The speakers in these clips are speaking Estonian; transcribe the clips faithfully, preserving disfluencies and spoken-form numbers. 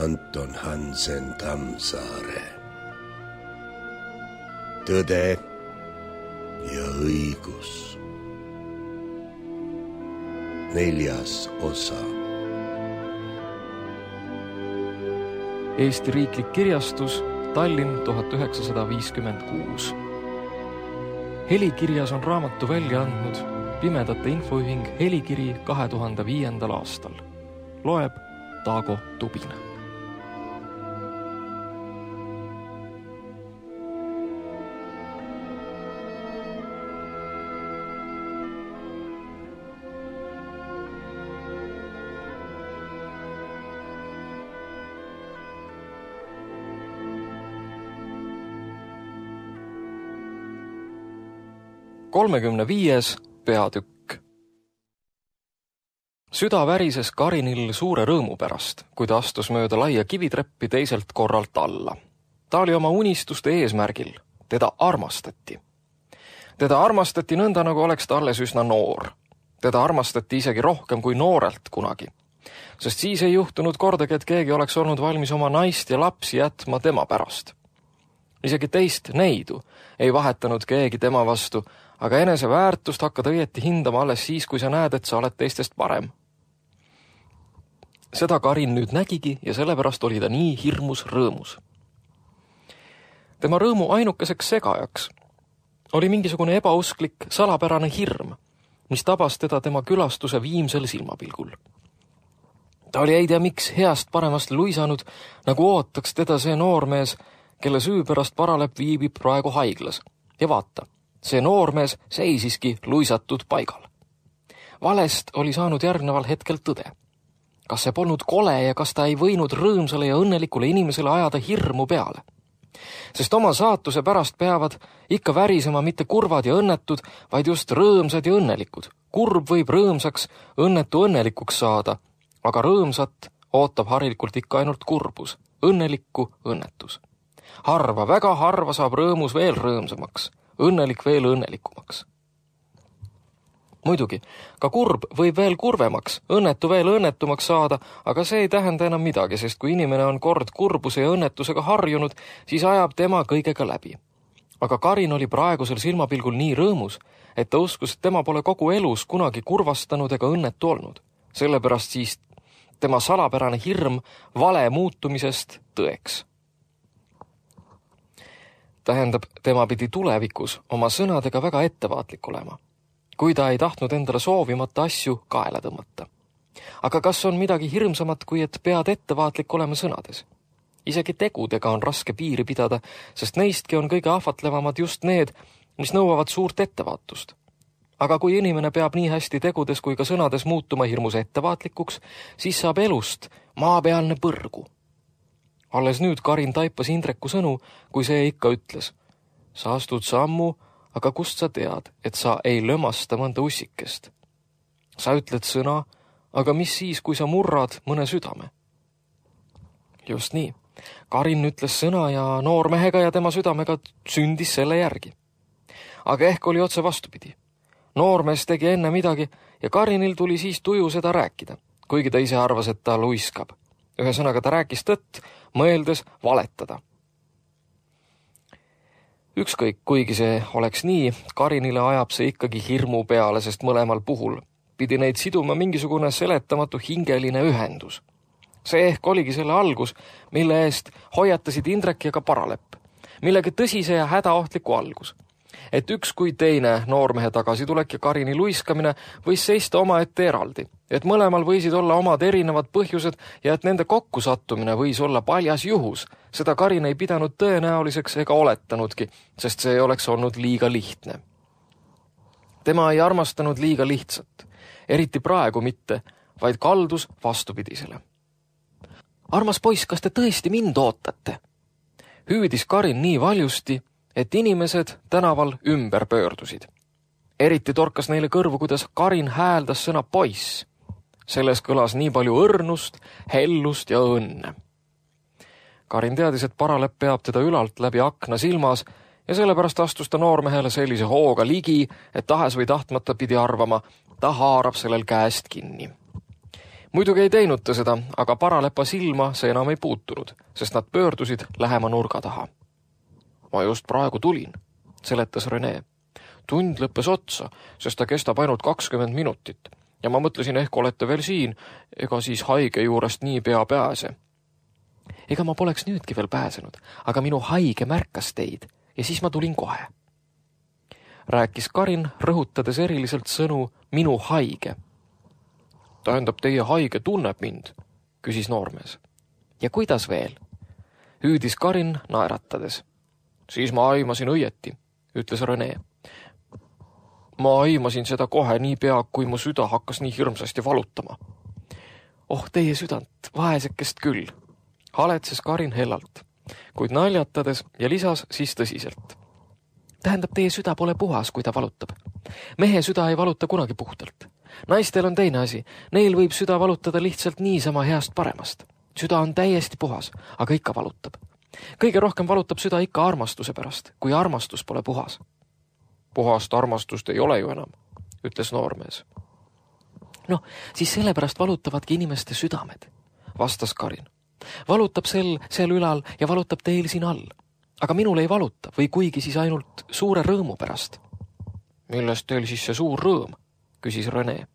Anton Hansen Tammsaare. Tõde ja õigus. Neljas osa. Eesti Riiklik Kirjastus, Tallinn tuhat üheksasada viiskümmend kuus. Helikirjas on raamatu välja andnud Pimedate Infoühing Helikiri kahe tuhande viiendal aastal. Loeb Taago Tubina. kolmekümne viies peatükk. Süda värises Karinil suure rõõmu pärast, kui ta astus mööda laia kivitreppi teiselt korralt alla. Ta oli oma unistuste eesmärgil. Teda armastati. Teda armastati nõnda, nagu oleks ta alles üsna noor. Teda armastati isegi rohkem kui noorelt kunagi. Sest siis ei juhtunud kordagi, et keegi oleks olnud valmis oma naist ja lapsi jätma tema pärast. Isegi teist neidu ei vahetanud keegi tema vastu, aga enese väärtust hakkad õieti hindama alles siis, kui sa näed, et sa oled teistest parem. Seda Karin nüüd nägigi ja sellepärast oli ta nii hirmus rõõmus. Tema rõõmu ainukeseks segajaks oli mingisugune ebausklik salapärane hirm, mis tabas teda tema külastuse viimsel silmapilgul. Ta oli ei tea miks heast paremast luisanud, nagu ootaks teda see noormees, kelle süü pärast Paralepp viibib praegu haiglas. Ja vaata, see noormees seisiski luisatud paigal. Valest oli saanud järgneval hetkel tõde. Kas see polnud kole ja kas ta ei võinud rõõmsale ja õnnelikule inimesele ajada hirmu peale? Sest oma saatuse pärast peavad ikka värisema mitte kurvad ja õnnetud, vaid just rõõmsad ja õnnelikud. Kurb võib rõõmsaks, õnnetu õnnelikuks saada, aga rõõmsat ootab harilikult ikka ainult kurbus, õnnelikku õnnetus. Harva, väga harva saab rõõmus veel rõõmsamaks, õnnelik veel õnnelikumaks. Muidugi, ka kurb võib veel kurvemaks, õnnetu veel õnnetumaks saada, aga see ei tähenda enam midagi, sest kui inimene on kord kurbuse ja õnnetusega harjunud, siis ajab tema kõigega läbi. Aga Karin oli praegusel silmapilgul nii rõõmus, et ta uskus, et tema pole kogu elus kunagi kurvastanud ega õnnetu olnud. Sellepärast siis tema salapärane hirm vale muutumisest tõeks. Tähendab, tema pidi tulevikus oma sõnadega väga ettevaatlik olema, kui ta ei tahtnud endale soovimata asju kaela tõmmata. Aga kas on midagi hirmsamat, kui et pead ettevaatlik olema sõnades? Isegi tegudega on raske piiri pidada, sest neistki on kõige ahvatlevamad just need, mis nõuavad suurt ettevaatust. Aga kui inimene peab nii hästi tegudes kui ka sõnades muutuma hirmus ettevaatlikuks, siis saab elust maapealne põrgu. Alles nüüd Karin taipas Indreku sõnu, kui see ikka ütles. Sa astud sammu, aga kust sa tead, et sa ei lömasta mõnda ussikest? Sa ütled sõna, aga mis siis, kui sa murrad mõne südame? Just nii. Karin ütles sõna ja noormehega ja tema südamega sündis selle järgi. Aga ehk oli otse vastupidi. Noormees tegi enne midagi ja Karinil tuli siis tuju seda rääkida, kuigi ta ise arvas, et ta luiskab. Ühesõnaga ta rääkis tõtt, mõeldes valetada. Ükskõik, kuigi see oleks nii, Karinile ajab see ikkagi hirmu peale, sest mõlemal puhul pidi neid siduma mingisugune seletamatu hingeline ühendus. See ehk oligi selle algus, mille eest hoiatasid Indrek ja ka Paralepp, millegi tõsise ja hädaohtliku algus. Et üks kui teine noormehe tagasitulek ja Karini luiskamine võis seista omaette eraldi, et mõlemal võisid olla omad erinevad põhjused ja et nende kokkusattumine võis olla paljas juhus. Seda Karin ei pidanud tõenäoliseks ega oletanudki, sest see oleks olnud liiga lihtne. Tema ei armastanud liiga lihtsat, eriti praegu mitte, vaid kaldus vastupidisele. Armas poiss, kas te tõesti mind ootate? Hüüdis Karin nii valjusti, et inimesed tänaval ümber pöördusid. Eriti torkas neile kõrvu, kuidas Karin hääldas sõna poiss. Selles kõlas nii palju õrnust, hellust ja õnne. Karin teadis, et Paralepp peab teda ülalt läbi akna silmas ja sellepärast astus ta noormehele sellise hooga ligi, et tahes või tahtmata pidi arvama, ta haarab sellel käest kinni. muidugi ei teinud ta seda, aga paralepa silma see enam ei puutunud, sest nad pöördusid lähema nurga taha. Ma just praegu tulin, seletas Rene. Tund lõppes otsa, sest ta kestab ainult kakskümmend minutit ja ma mõtlesin, ehk olete veel siin, ega siis haige juurest nii pea pääse. Ega ma poleks nüüdki veel pääsenud, aga minu haige märkas teid ja siis ma tulin kohe. Rääkis Karin, rõhutades eriliselt sõnu minu haige. Tähendab, teie haige tunneb mind, küsis noormees. Ja kuidas veel? Hüüdis Karin naeratades. Siis ma aimasin õieti, ütles Rene. Ma aimasin seda kohe nii pea, kui mu süda hakkas nii hirmsasti valutama. Oh, teie südant, vaesekest küll, haletses Karin hellalt, kuid naljatades ja lisas siis tõsiselt. Tähendab, teie süda pole puhas, kui ta valutab. Mehe süda ei valuta kunagi puhtalt. Naistel on teine asi, neil võib süda valutada lihtsalt niisama heast paremast. Süda on täiesti puhas, aga ikka valutab. Kõige rohkem valutab süda ikka armastuse pärast, kui armastus pole puhas. Puhast armastust ei ole ju enam, ütles noormees. Noh, siis sellepärast valutavadki inimeste südamed, vastas Karin. Valutab sel, seal ülal ja valutab teil siin all. Aga minul ei valuta või kuigi siis ainult suure rõõmu pärast. Millest teil siis see suur rõõm, küsis Rene.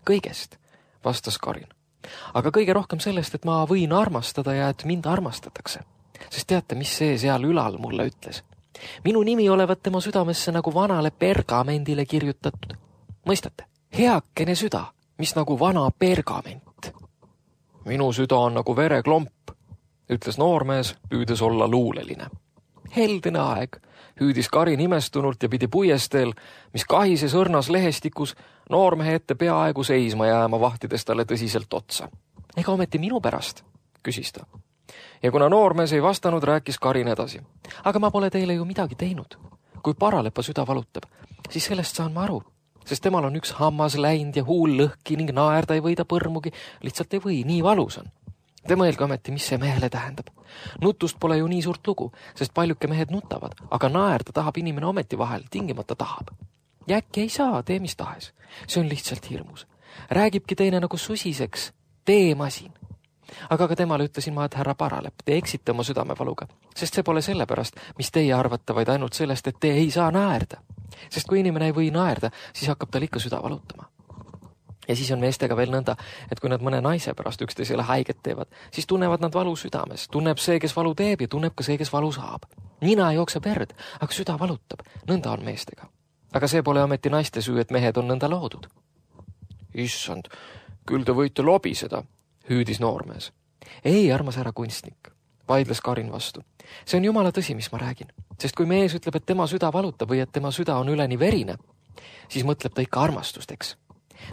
Kõigest, vastas Karin. Aga kõige rohkem sellest, et ma võin armastada ja et mind armastatakse. Sest teate, mis see seal ülal mulle ütles? Minu nimi olevat tema südamesse nagu vanale pergamendile kirjutatud. Mõistate? Heakene süda, mis nagu vana pergament. Minu süda on nagu vereklomp, ütles noormees, püüdes olla luuleline. Heldene aeg, hüüdis Karin imestunult ja pidi puiesteel, mis kahises õrnas lehestikus, noormehe ette peaaegu seisma jääma, vahtides talle tõsiselt otsa. Ega ometi minu pärast, küsis ta. Ja kuna noormees ei vastanud, rääkis Karin edasi. Aga ma pole teile ju midagi teinud. Kui paralepa süda valutab, siis sellest saan ma aru, sest temal on üks hammas läind ja huul lõhki ning naerda ei võida põrmugi, lihtsalt ei või, nii valus on. Te mõelge ometi, mis see mehele tähendab. Nutust pole ju nii suurt lugu, sest paljuke mehed nutavad, aga naerda tahab inimene ometi vahel, tingimata tahab. Ja äkki ei saa, tee mis tahes. See on lihtsalt hirmus. Räägibki teine nagu susiseks, tee masin. Aga ka temale ütlesin ma, et härra Paralep, te eksite oma südamevaluga, sest see pole sellepärast, mis teie arvate, vaid ainult sellest, et te ei saa naerda. Sest kui inimene ei või naerda, siis hakkab tal ikka süda valutama. Ja siis on meestega veel nõnda, et kui nad mõne naise pärast üksteisele haiget teevad, siis tunnevad nad valu südames. Tunneb see, kes valu teeb ja tunneb ka see, kes valu saab. Nina jookseb verd, aga süda valutab. Nõnda on meestega. Aga see pole ometi naiste süü, et mehed on nõnda loodud. Issand, küll te võite lobiseda, hüüdis noormees. Ei, armas härra kunstnik, vaidles Karin vastu. See on jumala tõsi, mis ma räägin. Sest kui mees ütleb, et tema süda valutab või et tema süda on üleni verine, siis mõtleb ta ikka armastusteks.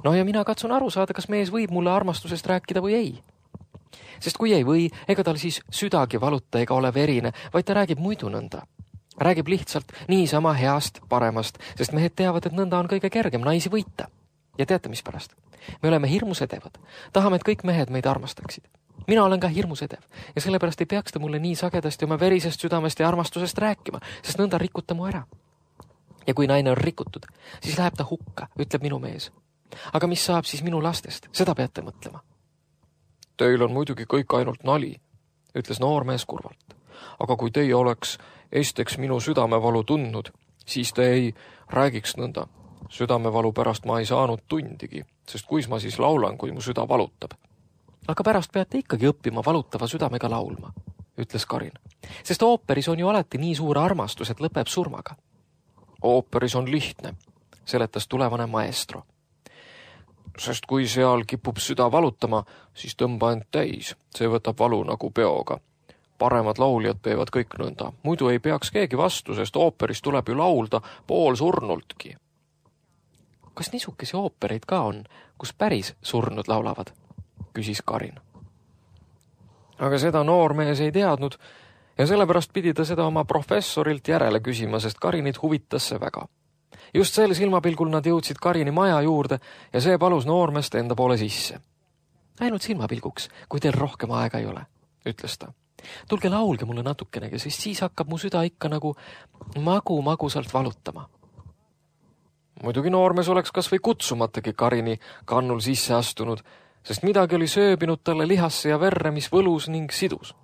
No ja mina katsun aru saada, kas mees võib mulle armastusest rääkida või ei. Sest kui ei või, ega tal siis südagi valuta ega ole verine, vaid ta räägib muidu nõnda. Räägib lihtsalt niisama heast, paremast, sest mehed teavad, et nõnda on kõige kergem naisi võita. Ja teate, mis pärast? Me oleme hirmus edevad. Tahame, et kõik mehed meid armastaksid. Mina olen ka hirmus edev ja sellepärast ei peaks ta mulle nii sagedasti oma verisest südamest ja armastusest rääkima, sest nõnda rikuta mu ära. Ja kui naine on rikutud, siis läheb ta hukka, ütleb minu mees. Aga mis saab siis minu lastest? Seda peate mõtlema. Teil on muidugi kõik ainult nali, ütles noormees kurvalt. Aga kui teie oleks esteks minu südamevalu tundnud, siis te ei räägiks nõnda. Südamevalu pärast ma ei saanud tundigi, sest kuis ma siis laulan, kui mu süda valutab. Aga pärast peate ikkagi õppima valutava südamega laulma, ütles Karin. Sest ooperis on ju alati nii suur armastus, et lõpeb surmaga. Ooperis on lihtne, seletas tulevane maestro. Sest kui seal kipub süda valutama, siis tõmba end täis. See võtab valu nagu peoga. Paremad lauljad teevad kõik nõnda. Muidu ei peaks keegi vastu, sest ooperis tuleb ju laulda pool surnultki. Kas niisukesi oopereid ka on, kus päris surnud laulavad? Küsis Karin. Aga seda noormees ei teadnud ja sellepärast pidi ta seda oma professorilt järele küsima, sest Karinit huvitas see väga. Just sel silmapilgul nad jõudsid Karini maja juurde ja see palus noormest enda poole sisse. Ainult silmapilguks, kui teil rohkem aega ei ole, ütles ta. Tulge laulge mulle natukenegi, sest siis hakkab mu süda ikka nagu magu-magusalt valutama. Muidugi noormees oleks kas või kutsumatagi Karini kannul sisse astunud, sest midagi oli sööbinud talle lihasse ja verre, mis võlus ning sidus.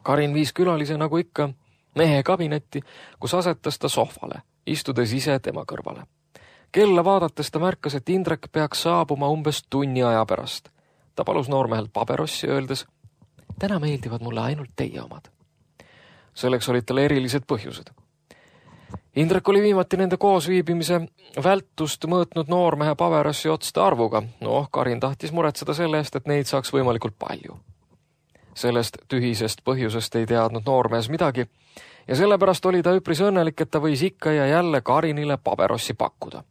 Karin viis külalise nagu ikka mehe kabinetti, kus asetas ta sohvale, istudes ise tema kõrvale. Kella vaadates ta märkas, et Indrek peaks saabuma umbes tunni aja pärast. Ta palus noormehelt paberossi, öeldes, täna meeldivad mulle ainult teie omad. Selleks olid tal erilised põhjused. Indrek oli viimati nende koosviibimise vältust mõõtnud noormehe paberossi otste arvuga. Noh, Karin tahtis muretseda selle eest, et neid saaks võimalikult palju. Sellest tühisest põhjusest ei teadnud noormees midagi ja sellepärast oli ta üpris õnnelik, et ta võis ikka ja jälle Karinile paberossi pakkuda.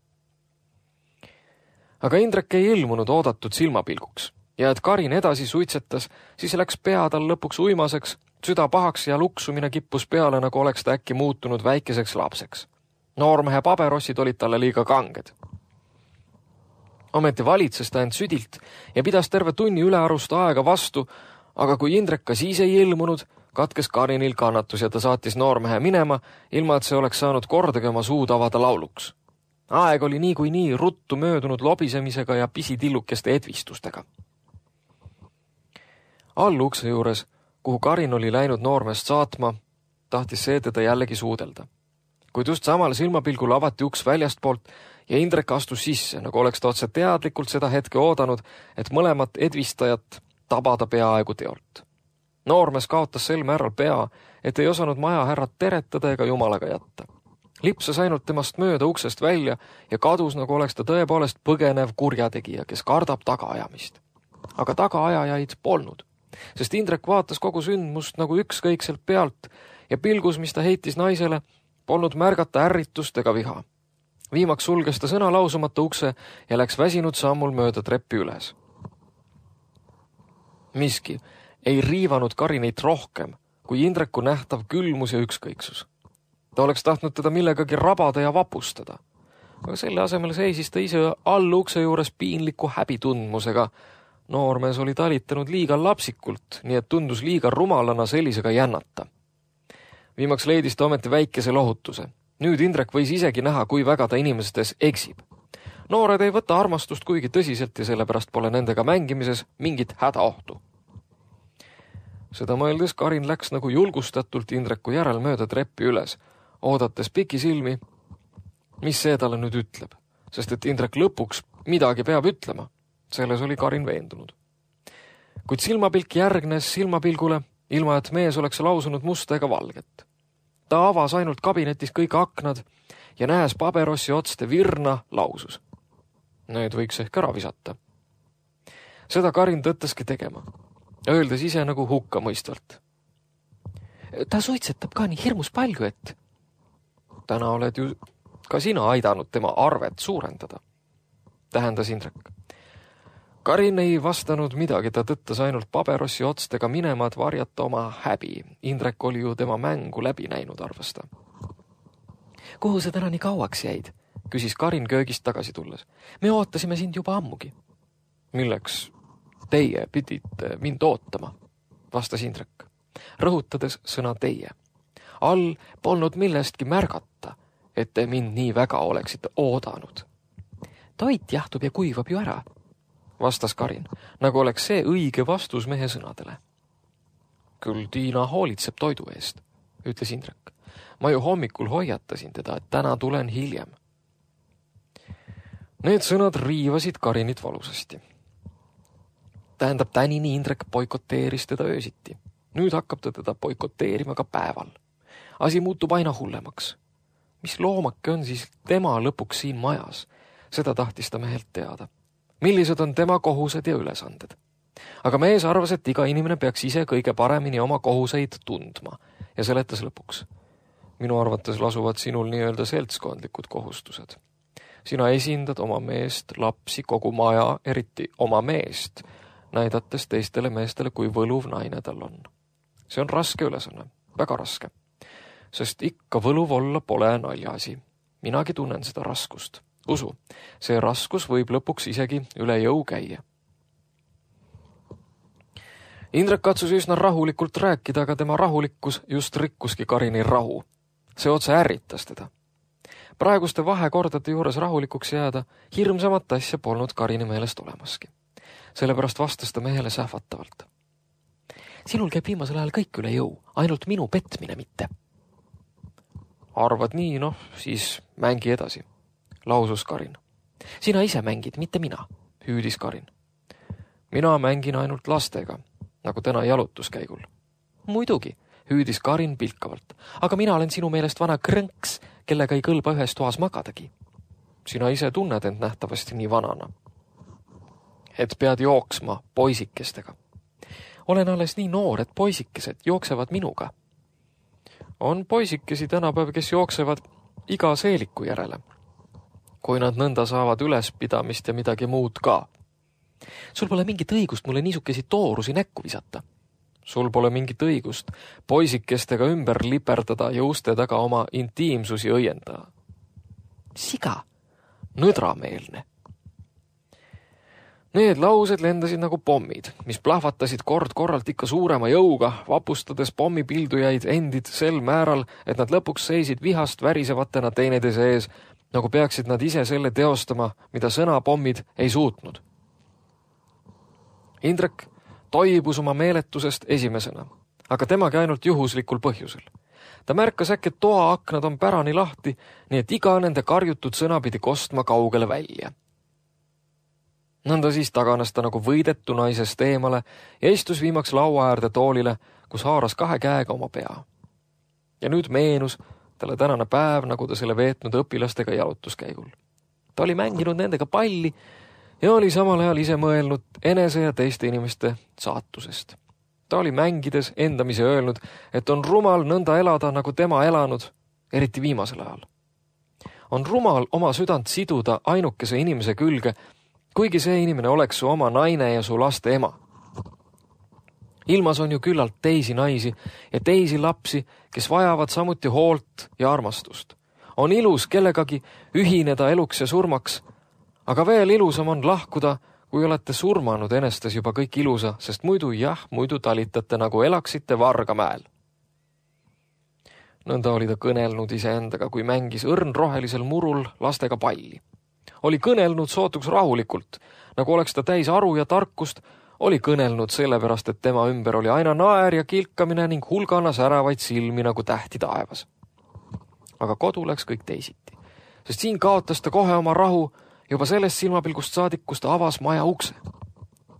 Aga Indrek ei ilmunud oodatud silmapilguks ja et Karin edasi suitsetas, siis läks pea tal lõpuks uimaseks, süda pahaks ja luksumine kippus peale, nagu oleks ta äkki muutunud väikeseks lapseks. Noormehe paberossid olid talle liiga kanged. Ometi valitses ta end südilt ja pidas terve tunni ülearust aega vastu, aga kui Indrek ka siis ei ilmunud, katkes Karinil kannatus ja ta saatis noormehe minema, ilma et see oleks saanud kordagi oma suud avada lauluks. Aeg oli nii kui nii ruttu möödunud lobisemisega ja pisitillukeste edvistustega. All ukse juures, kuhu Karin oli läinud noormeest saatma, tahtis see teda jällegi suudelda. Kuid just samal silmapilgul avati uks väljastpoolt ja Indrek astus sisse, nagu oleks ta otse teadlikult seda hetke oodanud, et mõlemat edvistajat tabada peaaegu teolt. Noormees kaotas sel määral pea, et ei osanud maja härrat teretada ega jumalaga jätta. Lipsas ainult temast mööda uksest välja ja kadus, nagu oleks ta tõepoolest põgenev kurjategija, kes kardab tagaajamist. Aga tagaajajaid polnud, sest Indrek vaatas kogu sündmust nagu ükskõikselt pealt ja pilgus, mis ta heitis naisele, polnud märgata ärritust ega viha. Viimaks sulges ta sõna lausumata ukse ja läks väsinud sammul mööda treppi üles. Miski ei riivanud Karinit rohkem kui Indreku nähtav külmus ja ükskõiksus. Ta oleks tahtnud teda millegagi rabada ja vapustada, aga selle asemel seisis ta ise all ukse juures piinliku häbitundmusega. Noormees oli talitanud liiga lapsikult, nii et tundus liiga rumalana sellisega jännata. Viimaks leidis ta ometi väikese lohutuse. Nüüd Indrek võis isegi näha, kui väga ta inimestes eksib. Noored ei võta armastust kuigi tõsiselt ja sellepärast pole nendega mängimises mingit hädaohtu. Seda mõeldes Karin läks nagu julgustatult Indreku järel mööda treppi üles, oodates pikisilmi, mis see talle nüüd ütleb, sest et Indrek lõpuks midagi peab ütlema. Selles oli Karin veendunud. Kuid silmapilk järgnes silmapilgule, ilma et mees oleks lausunud musta ega valget. Ta avas ainult kabinetis kõik aknad ja nähes paberossi otste virna lausus. Need võiks ehk ära visata. Seda Karin tõttaski tegema, öeldes ise nagu hukka mõistvalt. Ta suitsetab ka nii hirmus palju, et täna oled ju ka sina aidanud tema arvet suurendada, tähendas Indrek. Karin ei vastanud midagi, ta tõttas ainult paberossi otstega minema, et varjata oma häbi. Indrek oli ju tema mängu läbi näinud, arvas ta. Kuhu sa täna nii kauaks jäid? Küsis Karin köögist tagasi tulles. Me ootasime sind juba ammugi. Milleks teie pidite mind ootama, vastas Indrek, rõhutades sõna teie. All polnud millestki märgata, et te mind nii väga oleksite oodanud. Toit jahtub ja kuivab ju ära, vastas Karin, nagu oleks see õige vastus mehe sõnadele. Küll Tiina hoolitseb toidu eest, ütles Indrek. Ma ju hommikul hoiatasin teda, et täna tulen hiljem. Need sõnad riivasid Karinit valusasti. Tähendab, tänini Indrek boikoteeris teda öösiti. Nüüd hakkab ta teda boikoteerima ka päeval. Asi muutub aina hullemaks. Mis loomake on siis tema lõpuks siin majas? Seda tahtis ta mehelt teada. Millised on tema kohused ja ülesanded? Aga mees arvas, et iga inimene peaks ise kõige paremini oma kohuseid tundma ja seletas lõpuks. Minu arvates lasuvad sinul nii-öelda seltskondlikud kohustused. Sina esindad oma meest, lapsi, kogu maja, eriti oma meest, näidates teistele meestele, kui võluv naine tal on. See on raske ülesanne, väga raske, sest ikka võluv olla pole naljaasi. Minagi tunnen seda raskust. Usu, see raskus võib lõpuks isegi üle jõu käia. Indrek katsus üsna rahulikult rääkida, aga tema rahulikkus just rikkuski Karini rahu. See otse ärritas teda. Praeguste vahekordade juures rahulikuks jääda hirmsamat asja polnud Karini meelest olemaski. Sellepärast vastas ta mehele sähvatavalt. Sinul käib viimasel ajal kõik üle jõu, ainult minu petmine mitte. Arvad nii, noh, siis mängi edasi, lausus Karin. Sina ise mängid, mitte mina, hüüdis Karin. Mina mängin ainult lastega, nagu täna jalutuskäigul. Muidugi, hüüdis Karin pilkavalt, aga mina olen sinu meelest vana krõnks, kellega ei kõlba ühes toas magadagi. Sina ise tunned end nähtavasti nii vanana. Et pead jooksma poisikestega. Olen alles nii noor, et poisikesed jooksevad minuga. On poisikesi tänapäev, kes jooksevad iga seeliku järele, kui nad nõnda saavad ülespidamist ja midagi muud ka. Sul pole mingit õigust mulle niisukesi toorusi näkku visata. Sul pole mingit õigust poisikestega ümber liperdada ja uste taga oma intiimsusi õiendada. Siga, nõdrameelne. Need laused lendasid nagu pommid, mis plahvatasid kord korralt ikka suurema jõuga, vapustades pommipildujaid endid sel määral, et nad lõpuks seisid vihast värisevatena teineteise ees, nagu peaksid nad ise selle teostama, mida sõnapommid ei suutnud. Indrek toibus oma meeletusest esimesena, aga temagi ainult juhuslikul põhjusel. Ta märkas äkki, et toa aknad on pärani lahti, nii et iga nende karjutud sõna pidi kostma kaugele välja. Nõnda siis taganes ta nagu võidetu naisest eemale ja istus viimaks laua äärde toolile, kus haaras kahe käega oma pea. Ja nüüd meenus talle tänane päev, nagu ta selle veetnud õpilastega jalutuskäigul. Ta oli mänginud nendega palli ja oli samal ajal ise mõelnud enese ja teiste inimeste saatusest. Ta oli mängides endamise öelnud, et on rumal nõnda elada, nagu tema elanud, eriti viimasel ajal. On rumal oma südant siduda ainukese inimese külge, kuigi see inimene oleks su oma naine ja su laste ema. Ilmas on ju küllalt teisi naisi ja teisi lapsi, kes vajavad samuti hoolt ja armastust. On ilus kellegagi ühineda eluks ja surmaks, aga veel ilusam on lahkuda, kui olete surmanud enestes juba kõik ilusa, sest muidu jah, muidu talitate nagu elaksite Vargamäel. Nõnda oli ta kõnelnud iseendaga, kui mängis õrn rohelisel murul lastega palli. Oli kõnelnud sootuks rahulikult, nagu oleks ta täis aru ja tarkust, oli kõnelnud sellepärast, et tema ümber oli aina naer ja kilkamine ning hulgana säravaid silmi nagu tähti taevas. Aga kodu läks kõik teisiti, sest siin kaotas ta kohe oma rahu juba sellest silmapilgust saadik, kus ta avas maja ukse.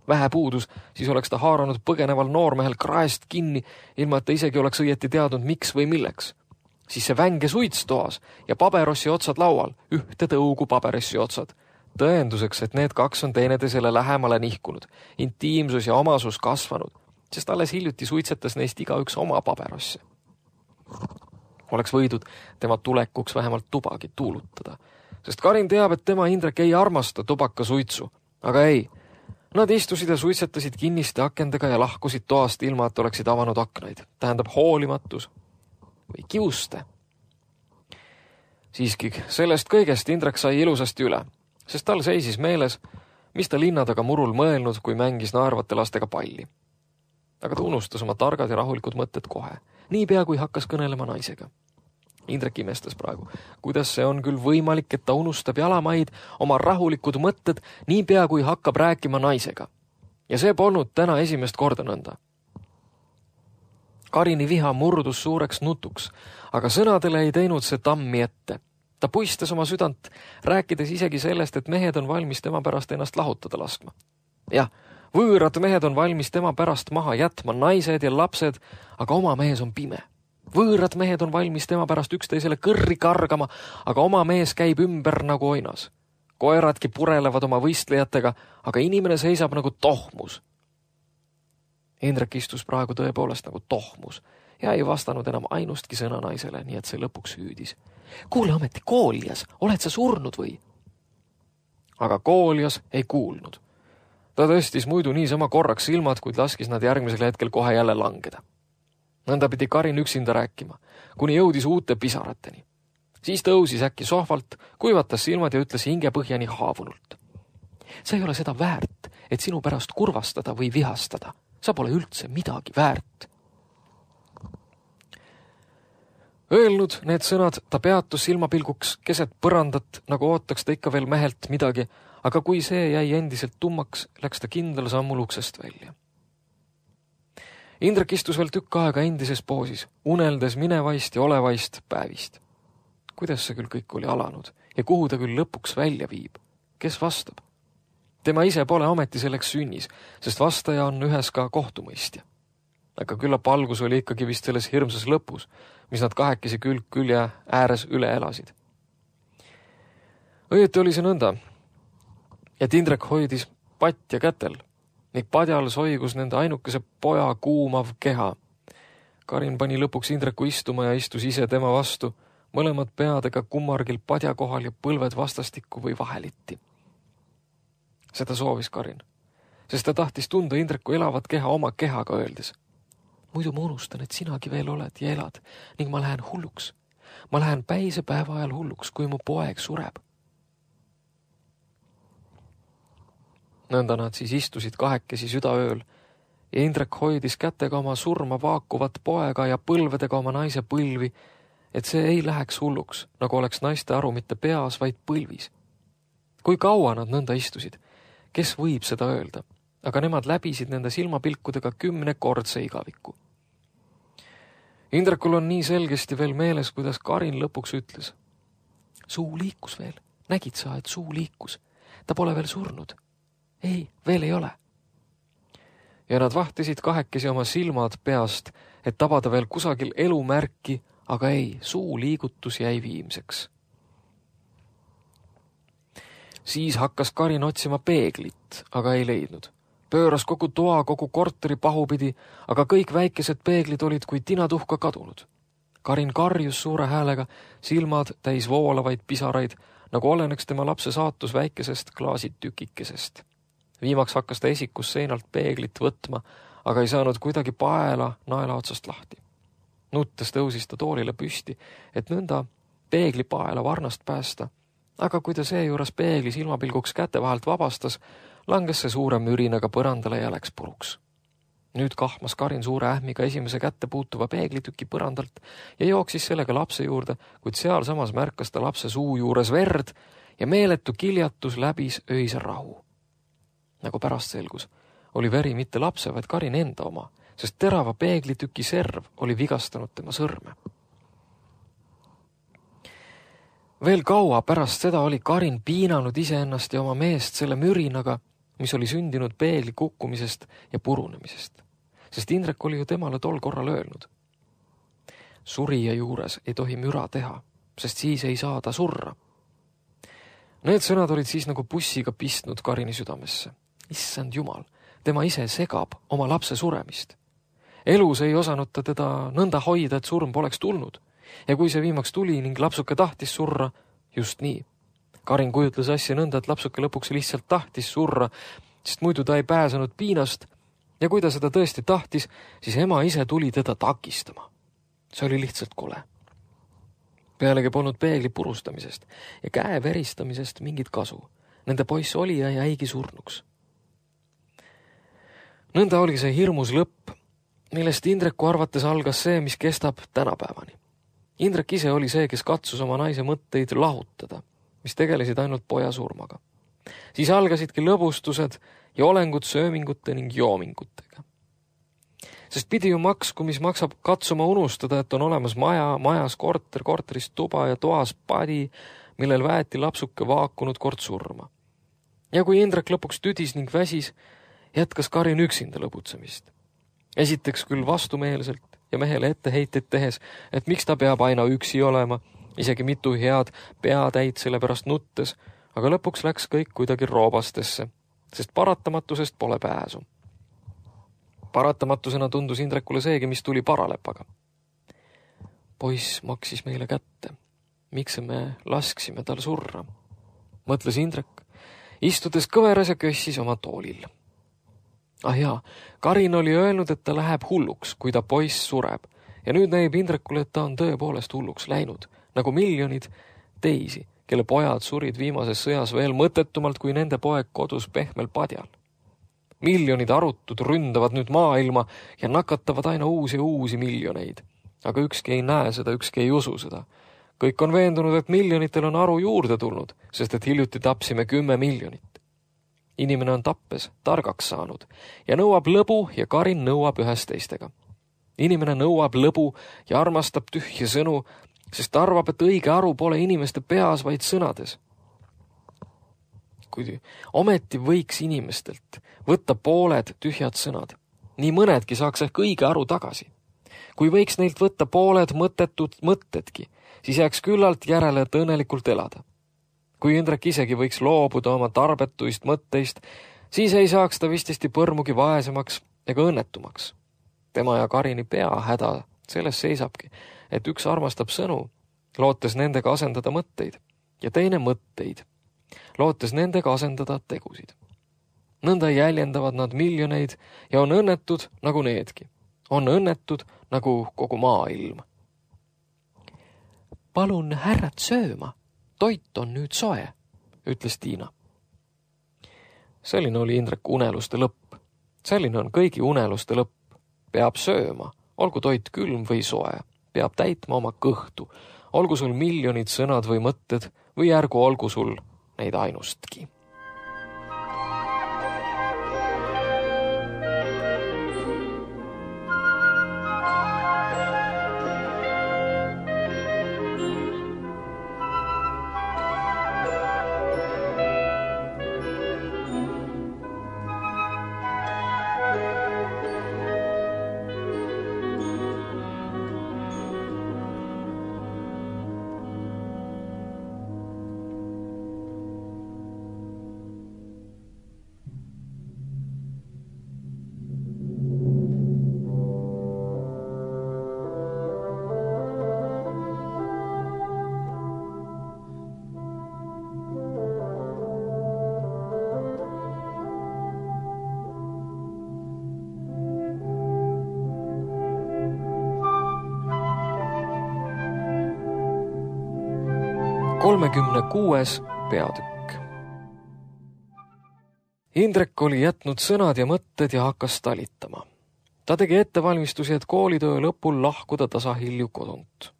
Vähe puudus, siis oleks ta haaranud põgeneval noormehel kraest kinni, ilma et ta isegi oleks õieti teadnud, miks või milleks. Siis see vänge suits toas ja paberossi otsad laual, ühte tõugu paberossi otsad. Tõenduseks, et need kaks on teineteisele lähemale nihkunud, intiimsus ja omasus kasvanud, sest alles hiljuti suitsetas neist igaüks oma paberosse. Oleks võidud tema tulekuks vähemalt tubagi tuulutada, sest Karin teab, et tema Indrek ei armasta tubaka suitsu, aga ei. Nad istusid ja suitsetasid kinniste akendega ja lahkusid toast ilma, et oleksid avanud aknaid. Tähendab hoolimatus või kiuste. Siiski, sellest kõigest Indrek sai ilusasti üle, sest tal seisis meeles, mis ta linna taga murul mõelnud, kui mängis naervate lastega palli. Aga ta unustas oma targad ja rahulikud mõtted kohe, niipea kui hakkas kõnelema naisega. Indrek imestas praegu, kuidas see on küll võimalik, et ta unustab jalamaid oma rahulikud mõtted niipea kui hakkab rääkima naisega. Ja see polnud täna esimest korda nõnda. Karini viha murdus suureks nutuks, aga sõnadele ei teinud see tammi ette. Ta puistas oma südant, rääkides isegi sellest, et mehed on valmis tema pärast ennast lahutada laskma. Jah, võõrad mehed on valmis tema pärast maha jätma, naised ja lapsed, aga oma mees on pime. Võõrad mehed on valmis tema pärast üksteisele kõrri kargama, aga oma mees käib ümber nagu oinas. Koeradki purelevad oma võistlejatega, aga inimene seisab nagu tohmus. Indrek istus praegu tõepoolest nagu tohmus ja ei vastanud enam ainustki sõna naisele, nii et see lõpuks hüüdis. Kuule ometi, Kooljas, oled sa surnud või? Aga Kooljas ei kuulnud. Ta tõstis muidu niisama korraks silmad, kuid laskis nad järgmisel hetkel kohe jälle langeda. Nõnda pidi Karin üksinda rääkima, kuni jõudis uute pisarateni. Siis tõusis äkki sohvalt, kuivatas silmad ja ütles hingepõhjani haavunult. Sa ei ole seda väärt, et sinu pärast kurvastada või vihastada. Sa pole üldse midagi väärt. Öelnud need sõnad, ta peatus silmapilguks keset põrandat, nagu ootaks ta ikka veel mehelt midagi, aga kui see jäi endiselt tummaks, läks ta kindlal sammul uksest välja. Indrek istus veel tükk aega endises poosis, uneldes minevaist ja olevaist päevist. Kuidas see küll kõik oli alanud ja kuhu ta küll lõpuks välja viib? Kes vastab? Tema ise pole ameti selleks sünnis, sest vastaja on ühes ka kohtumõistja. Aga küllap algus oli ikkagi vist selles hirmsas lõpus, mis nad kahekesi külg külje ääres üle elasid. Õieti oli see nõnda, et Indrek hoidis patja kätel ning padjal soigus nende ainukese poja kuumav keha. Karin pani lõpuks Indreku istuma ja istus ise tema vastu, mõlemad peadega kummargil padja kohal ja põlved vastastikku või vahelitti. Seda soovis Karin, sest ta tahtis tunda Indreku elavat keha oma kehaga öeldes. Muidu ma unustan, et sinagi veel oled ja elad ning ma lähen hulluks. Ma lähen päise päeva ajal hulluks, kui mu poeg sureb. Nõnda nad siis istusid kahekesi südaööl ja Indrek hoidis kätega oma surma vaakuvat poega ja põlvedega oma naise põlvi, et see ei läheks hulluks, nagu oleks naiste aru mitte peas, vaid põlvis. Kui kaua nad nõnda istusid, kes võib seda öelda, aga nemad läbisid nende silmapilkudega kümnekordse igaviku. Indrekul on nii selgesti veel meeles, kuidas Karin lõpuks ütles. Suu liikus veel, nägid sa, et suu liikus, ta pole veel surnud. Ei, veel ei ole. Ja nad vahtisid kahekesi oma silmad peast, et tabada veel kusagil elumärki, aga ei, suu liigutus jäi viimseks. Siis hakkas Karin otsima peeglit, aga ei leidnud. Pööras kogu toa, kogu korteri pahupidi, aga kõik väikesed peeglid olid kui tinatuhka kadunud. Karin karjus suure häälega, silmad täis voolavaid pisaraid, nagu oleneks tema lapse saatus väikesest klaasitükikesest. Viimaks hakkas ta esikus seinalt peeglit võtma, aga ei saanud kuidagi paela naela otsast lahti. Nuttes tõusis ta toolile püsti, et nõnda peegli paela varnast päästa, aga kui ta seejuures peegli silmapilguks käte vahelt vabastas, langes see suure mürinaga põrandale ja läks puruks. Nüüd kahmas Karin suure ähmiga esimese kätte puutuva peeglitüki põrandalt ja jooksis sellega lapse juurde, kuid seal samas märkas ta lapse suu juures verd ja meeletu kiljatus läbis öise rahu. Nagu pärast selgus, oli veri mitte lapse, vaid Karin enda oma, sest terava peeglitüki serv oli vigastanud tema sõrme. Veel kaua pärast seda oli Karin piinanud iseennast ja oma meest selle mürinaga, mis oli sündinud peegli kukkumisest ja purunemisest, sest Indrek oli ju temale tol korral öelnud. Surija juures ei tohi müra teha, sest siis ei saa ta surra. Need sõnad olid siis nagu bussiga pistnud Karini südamesse. Issand Jumal, tema ise segab oma lapse suremist. Elus ei osanud ta teda nõnda hoida, et surm poleks tulnud. Ja kui see viimaks tuli ning lapsuke tahtis surra, just nii. Karin kujutles asja nõnda, et lapsuke lõpuks lihtsalt tahtis surra, sest muidu ta ei pääsenud piinast ja kui ta seda tõesti tahtis, siis ema ise tuli teda takistama. See oli lihtsalt kole. Pealegi polnud peegli purustamisest ja käe veristamisest mingit kasu. Nende poiss oli ja jäigi surnuks. Nõnda oli see hirmus lõpp, millest Indreku arvates algas see, mis kestab tänapäevani. Indrek ise oli see, kes katsus oma naise mõtteid lahutada, mis tegelesid ainult poja surmaga. Siis algasidki lõbustused ja olengud söömingute ning joomingutega. Sest pidi ju maksku, mis maksab katsuma unustada, et on olemas maja, majas korter, korteris tuba ja toas padi, millel väeti lapsuke vaakunud kord surma. Ja kui Indrek lõpuks tüdis ning väsis, jätkas Karin üksinda lõbutsemist. Esiteks küll vastumeelselt ja mehele etteheited tehes, et miks ta peab aina üksi olema, isegi mitu head peatäid selle pärast nuttes, aga lõpuks läks kõik kuidagi roobastesse, sest paratamatusest pole pääsu. Paratamatusena tundus Indrekule seegi, mis tuli paralepaga. Poiss maksis meile kätte. Miks me lasksime tal surra? Mõtles Indrek, istudes kõveras ja kössis oma toolil. Ah jaa, Karin oli öelnud, et ta läheb hulluks, kui ta poiss sureb. Ja nüüd näib Indrekule, et ta on tõepoolest hulluks läinud, nagu miljonid teisi, kelle pojad surid viimases sõjas veel mõttetumalt kui nende poeg kodus pehmel padjal. Miljonid arutud ründavad nüüd maailma ja nakatavad aina uusi ja uusi miljoneid. aga ükski ei näe seda, ükski ei usu seda. Kõik on veendunud, et miljonitel on aru juurde tulnud, sest et hiljuti tapsime kümme miljonit. Inimene on tappes, targaks saanud ja nõuab lõbu ja Karin nõuab ühest teistega. Inimene nõuab lõbu ja armastab tühje sõnu, sest arvab, et õige aru pole inimeste peas, vaid sõnades. Kui ometi võiks inimestelt võtta pooled tühjad sõnad, nii mõnedki saaks ehk õige aru tagasi. Kui võiks neilt võtta pooled mõttetud mõttetki, siis jääks küllalt järele, et õnnelikult elada. Kui Indrek isegi võiks loobuda oma tarbetuist mõtteist, siis ei saaks ta vististi põrmugi vaesemaks ega õnnetumaks. Tema ja Karini pea häda selles seisabki, et üks armastab sõnu, lootes nendega asendada mõtteid, ja teine mõtteid, lootes nendega asendada tegusid. Nõnda jäljendavad nad miljoneid ja on õnnetud nagu needki. On õnnetud nagu kogu maailm. Palun härrad sööma, toit on nüüd soe, ütles Tiina. Selline oli Indrek uneluste lõpp. Selline on kõigi uneluste lõpp. Peab sööma, olgu toit külm või soe. Peab täitma oma kõhtu, olgu sul miljonid sõnad või mõtted või ärgu olgu sul neid ainustki. kolmekümne kuues peatükk. Indrek oli jätnud sõnad ja mõtted ja hakkas talitama. Ta tegi ettevalmistusi, et koolitöö lõpul lahkuda tasahilju kodunt.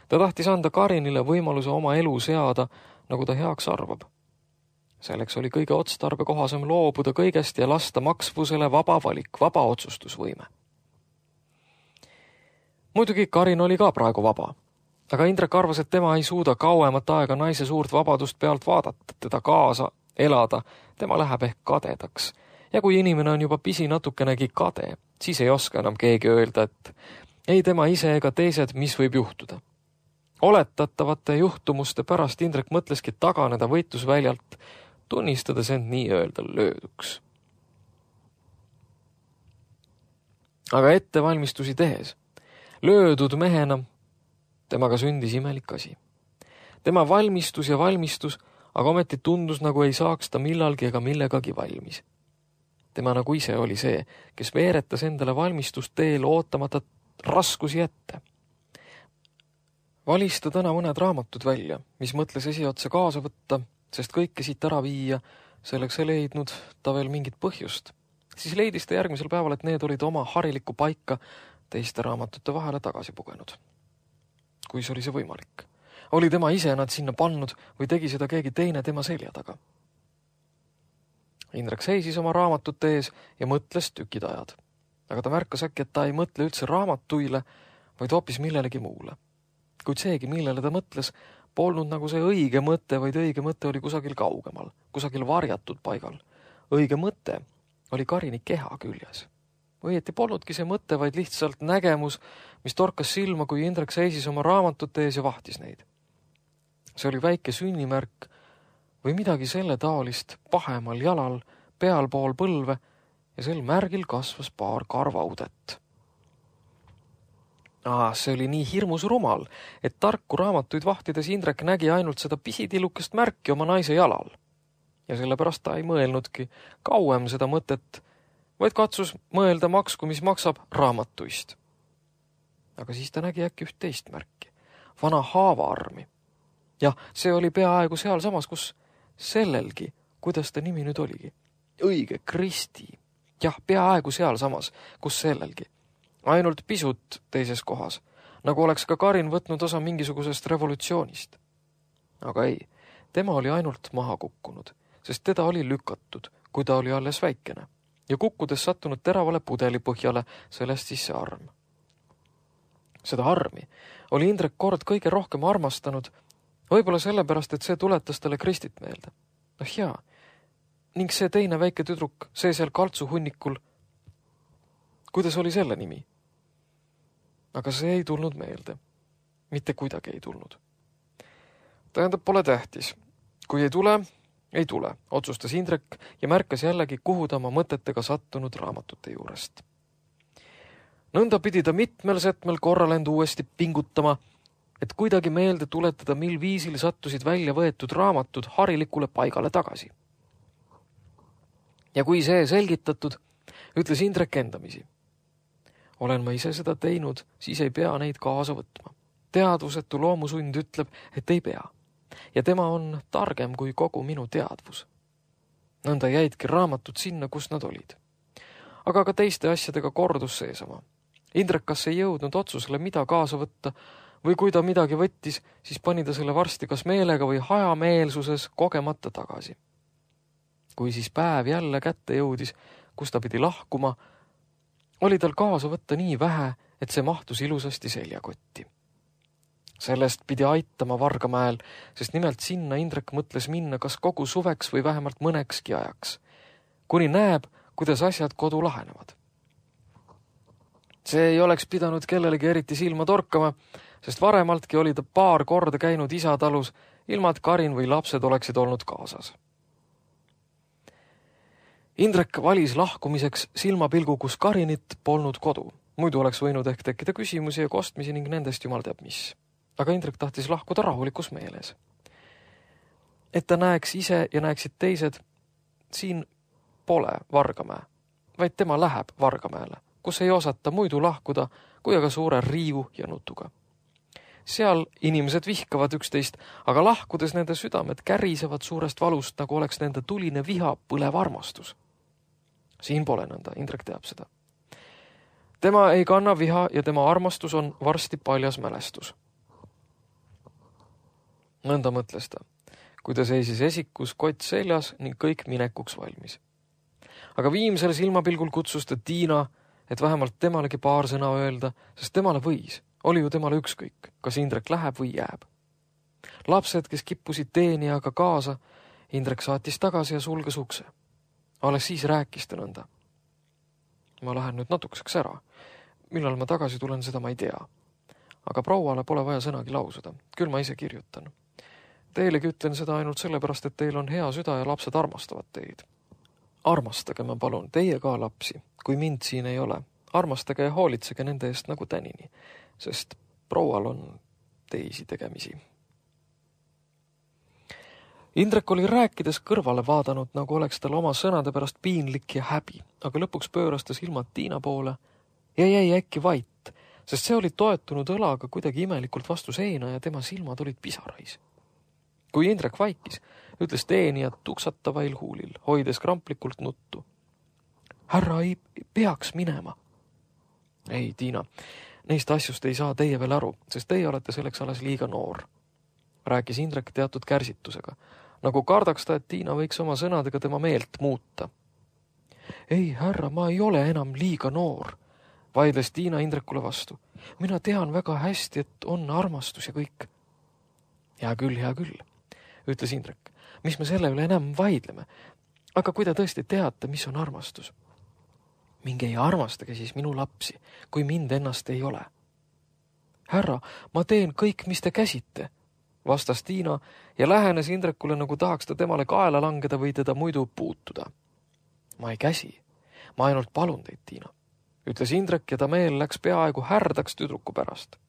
Ta tahtis anda Karinile võimaluse oma elu seada, nagu ta heaks arvab. Selleks oli kõige otstarbekohasem loobuda kõigest ja lasta maksvusele vaba valik, vaba otsustusvõime. Muidugi Karin oli ka praegu vaba. Aga Indrek arvas, et tema ei suuda kauemat aega naise suurt vabadust pealt vaadata, teda kaasa elada, tema läheb ehk kadedaks. Ja kui inimene on juba pisi natukenegi kade, siis ei oska enam keegi öelda, et ei tema ise ega teised, mis võib juhtuda. Oletatavate juhtumuste pärast Indrek mõtleski taganeda võitlusväljalt, tunnistades end nii-öelda lööduks. Aga ettevalmistusi tehes, löödud mehena, temaga sündis imelik asi. Tema valmistus ja valmistus, aga ometi tundus, nagu ei saaks ta millalgi ega millegagi valmis. Tema nagu ise oli see, kes veeretas endale valmistust teel ootamata raskusi ette. Valis ta täna mõned raamatud välja, mis mõtles esiotsa kaasa võtta, sest kõike siit ära viia, selleks ei leidnud ta veel mingit põhjust. Siis leidis ta järgmisel päeval, et need olid oma harilikku paika teiste raamatute vahele tagasi pugenud. Kui see oli see võimalik. Oli tema ise nad sinna pannud või tegi seda keegi teine tema selja taga. Indrek seisis oma raamatute ees ja mõtles tükid ajad. Aga ta märkas äkki, et ta ei mõtle üldse raamatuile, vaid hoopis millelegi muule. Kuid seegi, millele ta mõtles, polnud nagu see õige mõte, vaid õige mõte oli kusagil kaugemal, kusagil varjatud paigal. Õige mõte oli Karini keha küljes. Õieti polnudki see mõte, vaid lihtsalt nägemus, mis torkas silma, kui Indrek seisis oma raamatute ees ja vahtis neid. See oli väike sünnimärk või midagi selle taolist pahemal jalal, pealpool põlve ja sel märgil kasvas paar karvaudet. Ah, see oli nii hirmus rumal, et tarku raamatuid vahtides Indrek nägi ainult seda pisitillukest märki oma naise jalal. Ja sellepärast ta ei mõelnudki kauem seda mõtet, vaid katsus mõelda maksku, mis maksab raamatuist. Aga siis ta nägi äkki üht teist märki, vana haavaarmi. Jah, see oli peaaegu seal samas, kus sellelgi, kuidas ta nimi nüüd oligi. Õige, Kristi. Jah, peaaegu seal samas, kus sellelgi. Ainult pisut teises kohas. nagu oleks ka Karin võtnud osa mingisugusest revolutsioonist. Aga ei, tema oli ainult maha kukkunud, sest teda oli lükatud, kui ta oli alles väikene, ja kukkudes sattunud teravale pudeli põhjale, sellest siis see arm. Seda armi oli Indrek kord kõige rohkem armastanud, võib-olla sellepärast, et see tuletas talle Kristit meelde. noh jaa, ning see teine väike tüdruk, see seal kaltsu hunnikul, kuidas oli selle nimi? Aga see ei tulnud meelde. Mitte kuidagi ei tulnud. Tähendab, pole tähtis. Kui ei tule, ei tule, otsustas Indrek ja märkas jällegi, kuhu ta oma mõtetega sattunud raamatute juurest. Nõnda pidi ta mitmel setmel korral end uuesti pingutama, et kuidagi meelde tuletada, mil viisil sattusid välja võetud raamatud harilikule paigale tagasi. Ja kui see selgitatud, ütles Indrek endamisi. Olen ma ise seda teinud, siis ei pea neid kaasa võtma. Teadvusetu loomusund ütleb, et ei pea. Ja tema on targem kui kogu minu teadvus. Nõnda jäidki raamatud sinna, kus nad olid. Aga ka teiste asjadega kordus seesama. Indrek kas ei jõudnud otsusele, mida kaasa võtta, või kui ta midagi võttis, siis pani ta selle varsti kas meelega või hajameelsuses kogemata tagasi. Kui siis päev jälle kätte jõudis, kus ta pidi lahkuma, oli tal kaasa võtta nii vähe, et see mahtus ilusasti seljakotti. Sellest pidi aitama Vargamäel, sest nimelt sinna Indrek mõtles minna kas kogu suveks või vähemalt mõnekski ajaks, kuni näeb, kuidas asjad kodu lahenevad. See ei oleks pidanud kellelegi eriti silma torkama, sest varemaltki oli ta paar korda käinud isatalus, ilma et Karin või lapsed oleksid olnud kaasas. Indrek valis lahkumiseks silmapilgu, kus Karinit polnud kodu. Muidu oleks võinud ehk tekkida küsimusi ja kostmisi ning nendest jumal teab mis. Aga Indrek tahtis lahkuda rahulikus meeles. Et ta näeks ise ja näeksid teised, siin pole Vargamäe, vaid tema läheb Vargamäele, kus ei osata muidu lahkuda, kui aga suure riiu ja nutuga. Seal inimesed vihkavad üksteist, aga lahkudes nende südamed kärisevad suurest valust, nagu oleks nende tuline viha põlev armastus. Siin pole nõnda, Indrek teab seda. Tema ei kanna viha ja tema armastus on varsti paljas mälestus. Nõnda mõtles ta, kui ta seisis esikus kott seljas ning kõik minekuks valmis. Aga viimsel silmapilgul kutsus ta Tiina, et vähemalt temalegi paar sõna öelda, sest temale võis. Oli ju temale ükskõik, kas Indrek läheb või jääb. Lapsed, kes kippusid teenijaga kaasa, Indrek saatis tagasi ja sulges ukse. Alles siis rääkis ta nõnda. Ma lähen nüüd natukeseks ära. Millal ma tagasi tulen, seda ma ei tea. Aga prouale pole vaja sõnagi lausuda. Küll ma ise kirjutan. Teilegi ütlen seda ainult sellepärast, et teil on hea süda ja lapsed armastavad teid. Armastage, ma palun, teie ka lapsi, kui mind siin ei ole. Armastage ja hoolitsege nende eest nagu tänini, sest proual on teisi tegemisi. Indrek oli rääkides kõrvale vaadanud, nagu oleks tal oma sõnade pärast piinlik ja häbi, aga lõpuks pööras ta silmad Tiina poole ja jäi äkki vait, sest see oli toetunud õlaga kuidagi imelikult vastu seina ja tema silmad olid pisarais. Kui Indrek vaikis, ütles teenija tuksatavail huulil, hoides kramplikult nuttu. Härra ei peaks minema. Ei, Tiina, neist asjust ei saa teie veel aru, sest teie olete selleks alles liiga noor. Rääkis Indrek teatud kärsitusega, nagu kardaks ta, et Tiina võiks oma sõnadega tema meelt muuta. Ei, härra, ma ei ole enam liiga noor, vaidles Tiina Indrekule vastu. Mina tean väga hästi, et on armastus ja kõik. Hea küll, hea küll, ütles Indrek. Mis me selle üle enam vaidleme? Aga kui te tõesti teate, mis on armastus? Minge ei armastage siis minu lapsi, kui mind ennast ei ole. Härra, ma teen kõik, mis te käsite, vastas Tiina ja lähenes Indrekule, nagu tahaks ta temale kaela langeda või teda muidu puutuda. Ma ei käsi, ma ainult palun teid, Tiina, ütles Indrek ja ta meel läks peaaegu härdaks tüdruku pärast.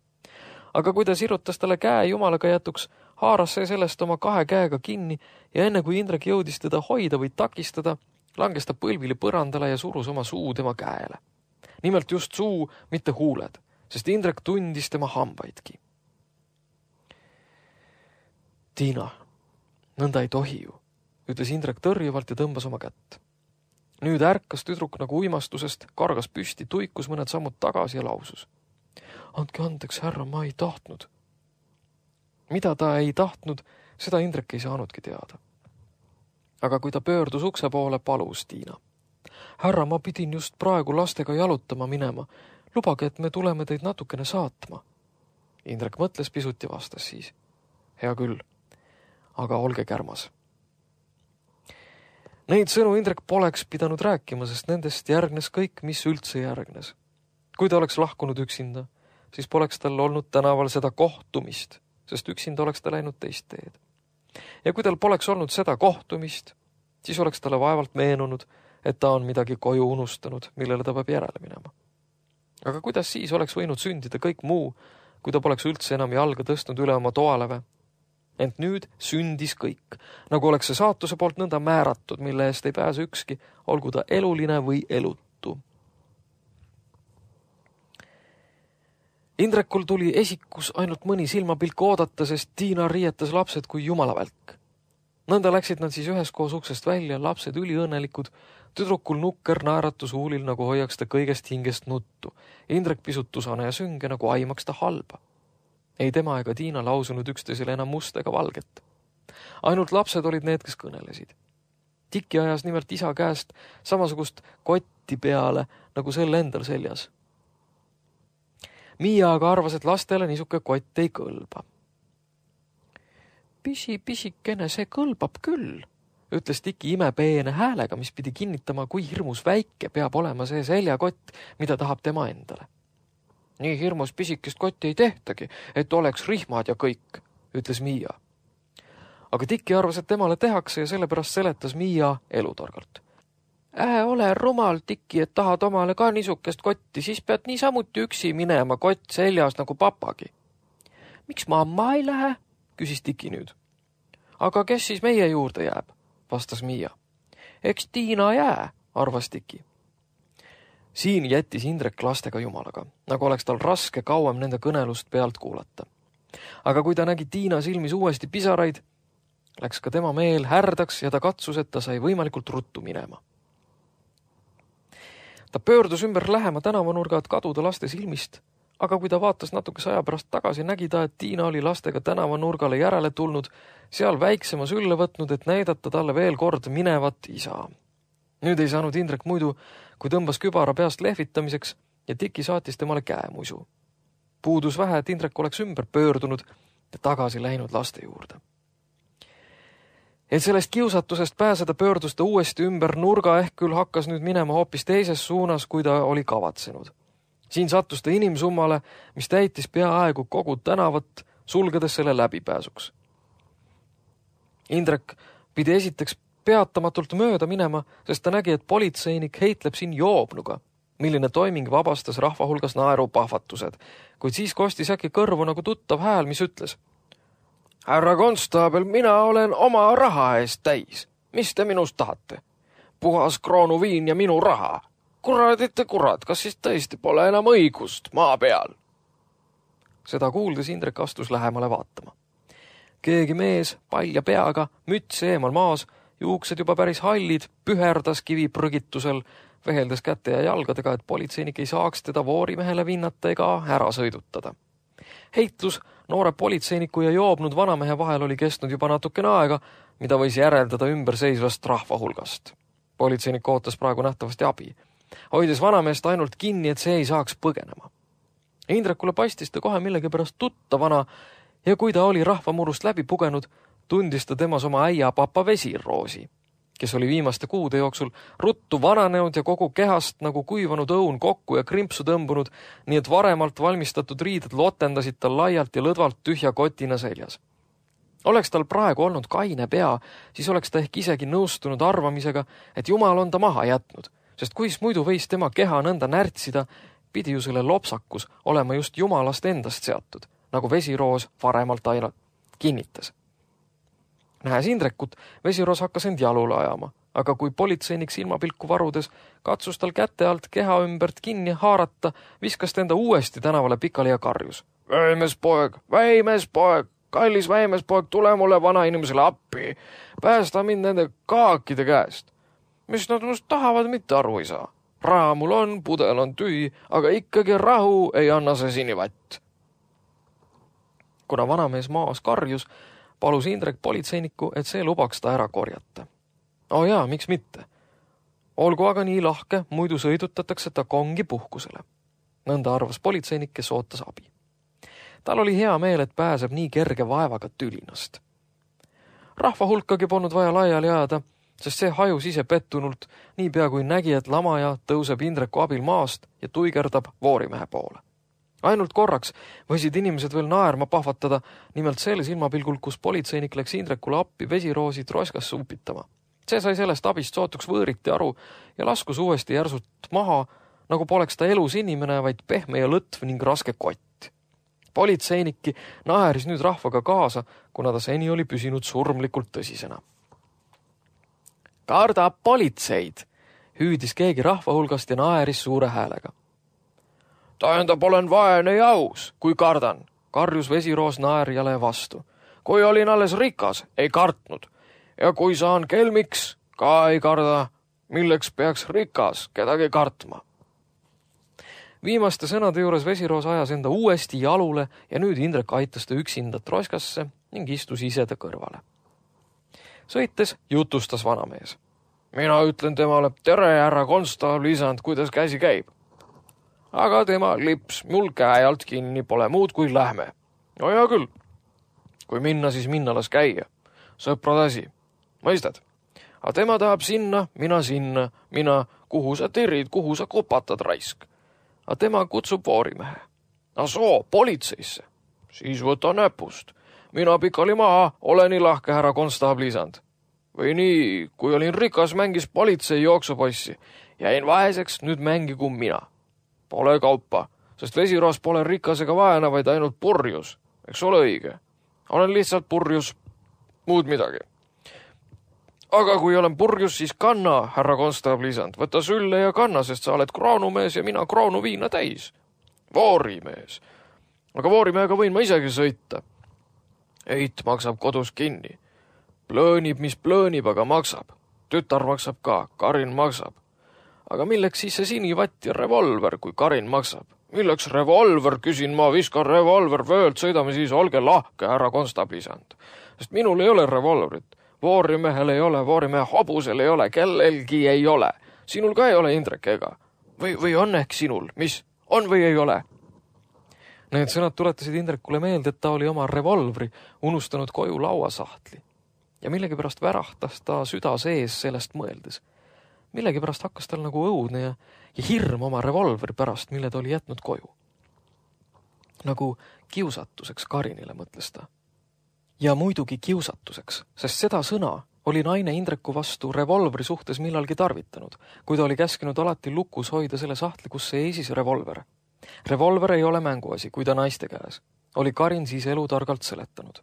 Aga kui ta sirutas talle käe jumalaga jätuks, haaras see sellest oma kahe käega kinni ja enne kui Indrek jõudis teda hoida või takistada, langes ta põlvili põrandale ja surus oma suu tema käele. Nimelt just suu, mitte huuled, sest Indrek tundis tema hambaidki. Tiina, nõnda ei tohi ju, ütles Indrek tõrjuvalt ja tõmbas oma kätt. Nüüd ärkas tüdruk nagu uimastusest, kargas püsti, tuikus mõned sammud tagasi ja lausus. andke andeks, härra, ma ei tahtnud. Mida ta ei tahtnud, seda Indrek ei saanudki teada. Aga kui ta pöördus ukse poole, palus Tiina. Härra, ma pidin just praegu lastega jalutama minema. Lubage, et me tuleme teid natukene saatma. Indrek mõtles pisut ja vastas siis. Hea küll, aga olge kärmas. Neid sõnu Indrek poleks pidanud rääkima, sest nendest järgnes kõik, mis üldse järgnes. Kui ta oleks lahkunud üksinda, siis poleks tal olnud tänaval seda kohtumist, sest üksinda oleks ta läinud teist teed. Ja kui tal poleks olnud seda kohtumist, siis oleks talle vaevalt meenunud, et ta on midagi koju unustanud, millele ta peab järele minema. Aga kuidas siis oleks võinud sündida kõik muu, kui ta poleks üldse enam jalga tõstnud üle oma toaleve? Ent nüüd sündis kõik, nagu oleks see saatuse poolt nõnda määratud, mille eest ei pääse ükski, olgu ta eluline või elutu. Indrekul tuli esikus ainult mõni silmapilk oodata, sest Tiina riietas lapsed kui jumalavälk. Nõnda läksid nad siis üheskoos uksest välja, lapsed üliõnnelikud, tüdrukul nukker naeratus huulil, nagu hoiaks ta kõigest hingest nuttu. Indrek pisut tusane ja sünge, nagu aimaks ta halba. Ei tema ega Tiina lausunud üksteisele enam must ega valget. Ainult lapsed olid need, kes kõnelesid. Tiki ajas nimelt isa käest samasugust kotti peale, nagu sel endal seljas. Miia aga arvas, et lastele niisuke kott ei kõlba. Pisi, pisikene, see kõlbab küll, ütles Tiki imepeene häälega, mis pidi kinnitama, kui hirmus väike peab olema see seljakott, mida tahab tema endale. Nii hirmus pisikest kotti ei tehtagi, et oleks rihmad ja kõik, ütles Miia. Aga Tiki arvas, et temale tehakse ja sellepärast seletas Miia elutargalt. Ähe ole rumal, Tiki, et tahad omale ka niisukest kotti, siis pead niisamuti üksi minema kott seljas nagu papagi. Miks mamma ei lähe? Küsis Tiki nüüd. Aga kes siis meie juurde jääb? Vastas Miia. Eks Tiina jää, arvas Tiki. Siin jättis Indrek lastega jumalaga, nagu oleks tal raske kauem nende kõnelust pealt kuulata. Aga kui ta nägi Tiina silmis uuesti pisaraid, läks ka tema meel härdaks ja ta katsus, et ta sai võimalikult ruttu minema. Ta pöördus ümber lähema tänavanurga, et kaduda laste silmist, aga kui ta vaatas natukese aja pärast tagasi, nägi ta, et Tiina oli lastega tänavanurgale järele tulnud, seal väiksema sülle võtnud, et näidata talle veel kord minevat isa. Nüüd ei saanud Indrek muidu, kui tõmbas kübara peast lehvitamiseks ja Tiki saatis temale käemuisu. Puudus vähe, et Indrek oleks ümber pöördunud ja tagasi läinud laste juurde. Et sellest kiusatusest pääseda pöördus ta uuesti ümber nurga, ehk küll hakkas nüüd minema hoopis teises suunas, kui ta oli kavatsenud. Siin sattus ta inimsummale, mis täitis peaaegu kogu tänavat, sulgedes selle läbipääsuks. Indrek pidi esiteks peatamatult mööda minema, sest ta nägi, et politseinik heitleb siin joobnuga, milline toiming vabastas rahva hulgas naerupahvatused, kuid siis kostis äkki kõrvu nagu tuttav hääl, mis ütles. Härra konstaabel, mina olen oma raha eest täis. Mis te minust tahate? Puhas kroonuviin ja minu raha. Kuradite kurat, kas siis tõesti pole enam õigust maa peal? Seda kuuldes Indrek astus lähemale vaatama. Keegi mees, palja peaga, müts eemal maas, juuksed juba päris hallid, püherdas kiviprõgitusel, veheldes käte ja jalgadega, et politseinik ei saaks teda voorimehele vinnata ega ära sõidutada. Heitlus noore politseiniku ja joobnud vanamehe vahel oli kestnud juba natukene aega, mida võis järeldada ümberseisvast rahva hulgast. Politseinik ootas praegu nähtavasti abi, hoides vanameest ainult kinni, et see ei saaks põgenema. Indrekule paistis ta kohe millegipärast tuttavana ja kui ta oli rahvamurust läbi pugenud, tundis ta temas oma äia papa Vesiroosi, kes oli viimaste kuude jooksul ruttu vananenud ja kogu kehast nagu kuivanud õun kokku ja krimpsu tõmbunud, nii et varemalt valmistatud riided lotendasid tal laialt ja lõdvalt tühja kotina seljas. Oleks tal praegu olnud kaine pea, siis oleks ta ehk isegi nõustunud arvamisega, et Jumal on ta maha jätnud, sest kuis muidu võis tema keha nõnda närtsida, pidi ju selle lopsakus olema just Jumalast endast seatud, nagu Vesiroos varemalt aina kinnitas. Nähes Indrekut, Vesiroos hakkas end jalule ajama, aga kui politseinik silmapilku varudes katsus tal käte alt keha ümbert kinni haarata, viskas ta enda uuesti tänavale pikali ja karjus. Väimes poeg, väimes poeg, kallis väimes poeg, tule mulle vana inimesele appi, päästa mind nende kaakide käest. Mis nad must tahavad, mitte aru ei saa. raha mul on, pudel on tühi, aga ikkagi rahu ei anna see sinivatt. Kuna vanamees maas karjus, palus Indrek politseinikku, et see lubaks ta ära korjata. O jaa, miks mitte? Olgu aga nii lahke, muidu sõidutatakse ta kongi puhkusele. Nõnda arvas politseinik, kes ootas abi. Tal oli hea meel, et pääseb nii kerge vaevaga tülinast. Rahva hulkagi polnud vaja laiali ajada, sest see hajus ise pettunult, niipea kui nägi, et lamaja tõuseb Indreku abil maast ja tuigerdab voorimehe poole. Ainult korraks võisid inimesed veel naerma pahvatada, nimelt selle silmapilgul, kus politseinik läks Indrekule appi vesiroosi troskasse upitama. See sai sellest abist sootuks võõriti aru ja laskus uuesti järsult maha, nagu poleks ta elus inimene, vaid pehme ja lõtv ning raske kott. Politseinikki naeris nüüd rahvaga kaasa, kuna ta seni oli püsinud surmlikult tõsisena. Karda politseid, hüüdis keegi rahva hulgast ja naeris suure häälega. Tähendab, olen vaene ja aus, kui kardan, karjus vesiroos naerjale vastu. Kui olin alles rikas, ei kartnud. Ja kui saan kelmiks, ka ei karda, milleks peaks rikas kedagi kartma. Viimaste sõnade juures vesiroos ajas enda uuesti jalule ja nüüd Indrek aitas ta üksinda troskasse ning istus ise ta kõrvale. Sõites jutustas vanamees. Mina ütlen temale, tere härra konstaabli isand, kuidas käsi käib. Aga tema lips mul käe alt kinni, pole muud kui lähme. No hea küll. Kui minna, siis minna las käia. Sõprad asi. Mõistad? Aga tema tahab sinna, mina sinna, mina, kuhu sa tirid, kuhu sa kopatad raisk. Aga tema kutsub voorimehe. A soo, politseisse. Siis võta näpust. Mina pikali maha, ole nii lahke härra konstaabli isand. Või nii, kui olin rikas, mängis politsei jooksupossi. Jäin vaeseks, nüüd mängigu mina. Pole kaupa, sest vesiroos pole rikas ega vaena, vaid ainult purjus. Eks ole õige. Olen lihtsalt purjus, muud midagi. Aga kui olen purjus, siis kanna, härra konstaabli isand. Võta sülle ja kanna, sest sa oled kroonumees ja mina kroonu viina täis. Voorimees. Aga voorimehega võin ma isegi sõita. Eit maksab kodus kinni. Plöönib, mis plöönib, aga maksab. Tütar maksab ka, Karin maksab. Aga milleks siis see sinivatt ja revolver, kui Karin maksab? Milleks revolver, küsin ma, viskan revolver vöölt, sõidame siis, olge lahke, härra konstaabli isand. Sest minul ei ole revolverit. Voorimehel ei ole, voorimehe hobusel ei ole, kellelgi ei ole. Sinul ka ei ole, Indrek, ega? Või, või on ehk sinul? Mis? On või ei ole? Need sõnad tuletasid Indrekule meelde, et ta oli oma revolvri unustanud koju lauasahtli. Ja millegipärast värahtas ta süda sees sellest mõeldes. Millegipärast hakkas tal nagu õudne ja, ja hirm oma revolvri pärast, mille ta oli jätnud koju. Nagu kiusatuseks Karinile, mõtles ta. Ja muidugi kiusatuseks, sest seda sõna oli naine Indreku vastu revolvri suhtes millalgi tarvitanud, kui ta oli käskinud alati lukus hoida selle sahtli, kus seisis revolver. Revolver ei ole mänguasi, kui ta naiste käes. Oli Karin siis elutargalt seletanud.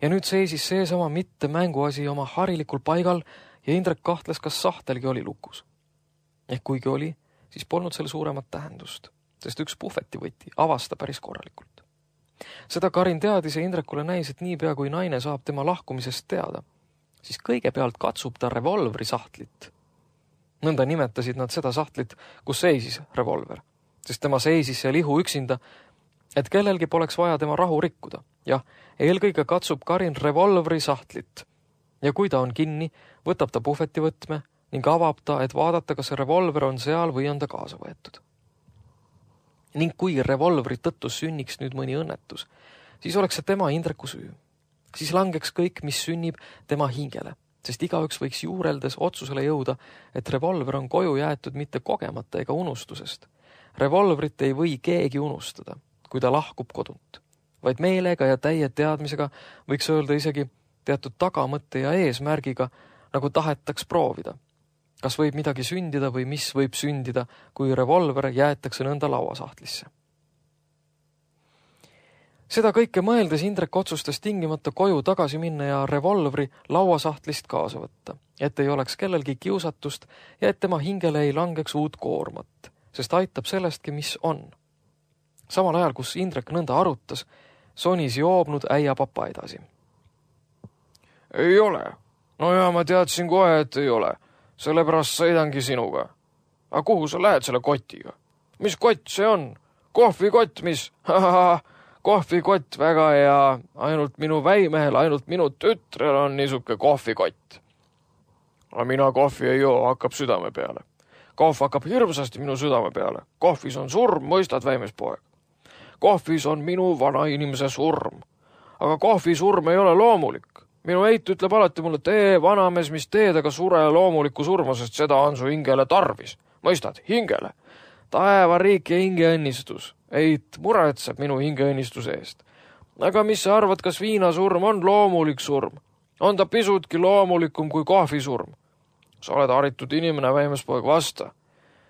Ja nüüd seisis seesama mitte mänguasi oma harilikul paigal ja Indrek kahtles, kas sahtelgi oli lukus. Ehk kuigi oli, siis polnud selle suuremat tähendust, sest üks puhvetivõti avasta päris korralikult. Seda Karin teadis ja Indrekule näis, et niipea kui naine saab tema lahkumisest teada, siis kõigepealt katsub ta revolvri sahtlit. Nõnda nimetasid nad seda sahtlit, kus seisis revolver, sest tema seisis seal ihu üksinda, et kellelgi poleks vaja tema rahu rikkuda. Jah, eelkõige katsub Karin revolvri sahtlit ja kui ta on kinni, võtab ta puhvetivõtme ning avab ta, et vaadata, kas revolver on seal või on ta kaasa võetud. Ning kui revolvri tõttu sünniks nüüd mõni õnnetus, siis oleks see tema Indreku süü. Siis langeks kõik, mis sünnib tema hingele, sest igaüks võiks juureldes otsusele jõuda, et revolver on koju jäetud mitte kogemata ega unustusest. Revolvrit ei või keegi unustada, kui ta lahkub kodunt, vaid meelega ja täie teadmisega võiks öelda isegi teatud tagamõtte ja eesmärgiga, nagu tahetaks proovida. Kas võib midagi sündida või mis võib sündida, kui revolver jäetakse nõnda lauasahtlisse. Seda kõike mõeldes Indrek otsustas tingimata koju tagasi minna ja revolvri lauasahtlist kaasa võtta, et ei oleks kellelgi kiusatust ja et tema hingele ei langeks uut koormat, sest aitab sellestki, mis on. Samal ajal, kus Indrek nõnda arutas, sonis joobnud äia papa edasi. Ei ole. No ja ma teadsin kohe, et ei ole. Sellepärast sõidangi sinuga. aga kuhu sa lähed selle kotiga? Mis kott see on? Kohvikott, mis? Kohvikott, väga hea. Ainult minu väimehel, ainult minu tütrel on niisuke kohvikott. Aga mina kohvi ei joo, hakkab südame peale. Kohv hakkab hirmsasti minu südame peale. Kohvis on surm, mõistad, väimespoeg. Kohvis on minu vana inimese surm. Aga kohvi surm ei ole loomulik. Minu eit ütleb alati mulle, tee vanamees, mis teed, aga sure loomulikku surma, sest seda on su hingele tarvis. Mõistad, hingele. Taeva riik ja hingeõnnistus. Eit muretseb minu hingeõnnistuse eest. Aga mis sa arvad, kas viinasurm on loomulik surm? On ta pisutki loomulikum kui kohvisurm? Sa oled haritud inimene, väimespoeg, vasta.